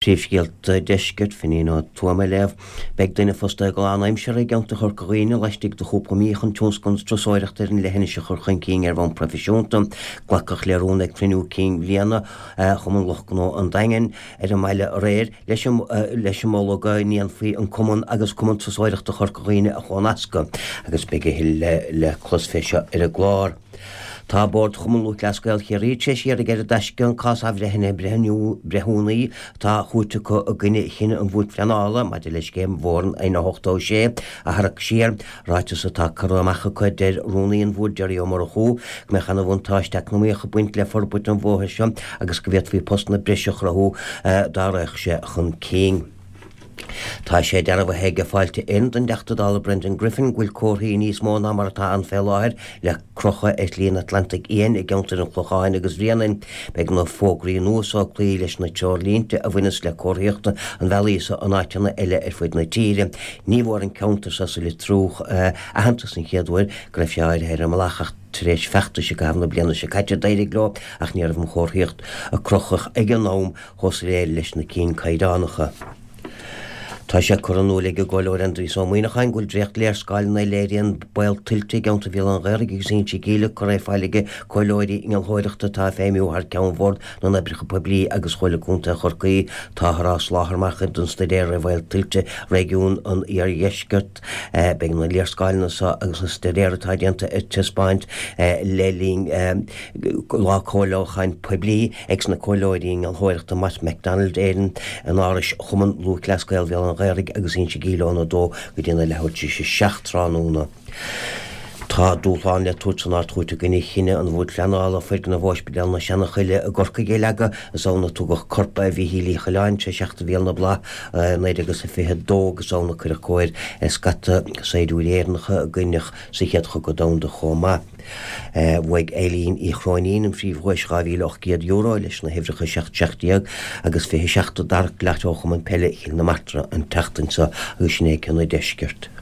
Príomhscéalta Deiscirt, Finín Ó Tuama ag léamh. Beidh duine fostaithe go lánaimseartha i gceantar Chorca Dhuibhne laistigh de chúpla mí chun tionscal na turasóireachta ar an leithinis a chur chun cinn ar bhonn proifisiúnta. Glacadh le rún ag cruinniú cinn bhliana Chumann Lucht Gnó an Daingin ar an mbaile aréir leis an leis an moladh go ndéanfaí an cumann agus Cumann Turasóireachta Chorca Dhuibhne a chomhnascadh agus beidh a thuilleadh le clos fé seo ar an gclár. Tá Bord Chumann Lúthchleas Gael Chiarraí tar éis iarraidh ar an dTaisce an cás athbhreithnithe breithiúnaí atá á thabhairt acu i gcoinne chinneadh an Bhoird Phleanála maidir le scéim Bhóthar an N86 a tharrac siar. Ráiteas atá curtha amach acu deir Rúnaí an Bhoird Gerry Ó Murchú go mbeadh ana bhuntáiste eacnamaíoch ag baint le forbairt an bhóthair seo agus go bhféadfaí postanna breise a chruthú dá raghadh sé chun cinn. Tá sé dearbhaithe ag Fáilte Éireann don dTeachta Dála Brendan Griffin go bhfuil comharthaí níos mó ná mar atá ann fé láthair le crochadh ar Shlí an Atlantaigh Fhiáin i gceantair an Chlocháin agus Bhréanainn. Beidh na fógraí nua so ag cloí leis na treoirlínte a bhaineas le comharthaíocht an bhealaigh so in áiteanna eile ar fud na tíre. Ní bhfuair an ceantar so sa Litrúch aitheantas an chéad uair go raibh sé áirithe ar an mbealach ach tar éis feachtais i gcaitheamh na bliana seo caite d'éirigh leo ach ní raibh an chomharthaíocht a crochadh ag an am chomh soiléir leis na cinn caighdeánacha. Tá sé curtha in iúl ag an gComhairleoir Aindrias Ó Muíneacháin go bhfuil dréacht-léarscáileanna a léiríonn baol tuilte i gceantar Bhéal an Ghaorthaidh agus Inse Gíle curtha ar fáil ag comhairleoirí innealthóireachta atá ag feidhmiú thar ceann Bhord na nOibreacha Poiblí agus Chomhairle Contae Chorcaí. Táthar á soláthar mar chuid den staidéar ar bhaol tuilte réigiún an Iardheiscirt. Beidh na léarscáileanna seo agus an staidéar atá déanta ar taispeáint le linn lá comhairliúcháin poiblí ag na comhairleoirí innealthóireachta Mott MacDonald Éireann in Áras Chumann Lúthchleas Gael Bhéal an Ghaorthaidh agus Inse Gíle óna 2 go dtí na leathuair tar éis 7 tráthnóna. Tá dúshlán le tabhairt san Ard-Chúirt i gcoinne chinneadh an Bhoird Phleanála foirgneamh Ospidéal na Seanachoille i gCorcaigh a leagadh. Is ann a tugadh corp Mhíchíl Uí Choileáin tar éis theacht i bhfial na bhFlaith i 1922 agus ann a cuireadh cóir ar scata saighdiúirí Éireannacha a goineadh sa Chéad Chogadh Domhanda chomh maith. Bhuaigh Eileen Uí Chróinín an phríomhdhuais €2,800 leis na huimhreacha 7 17 agus 27 a d'amharc Lotto Chumann Peile Chill na Martra an tseachtain seo agus sin é cionn an deiscirt.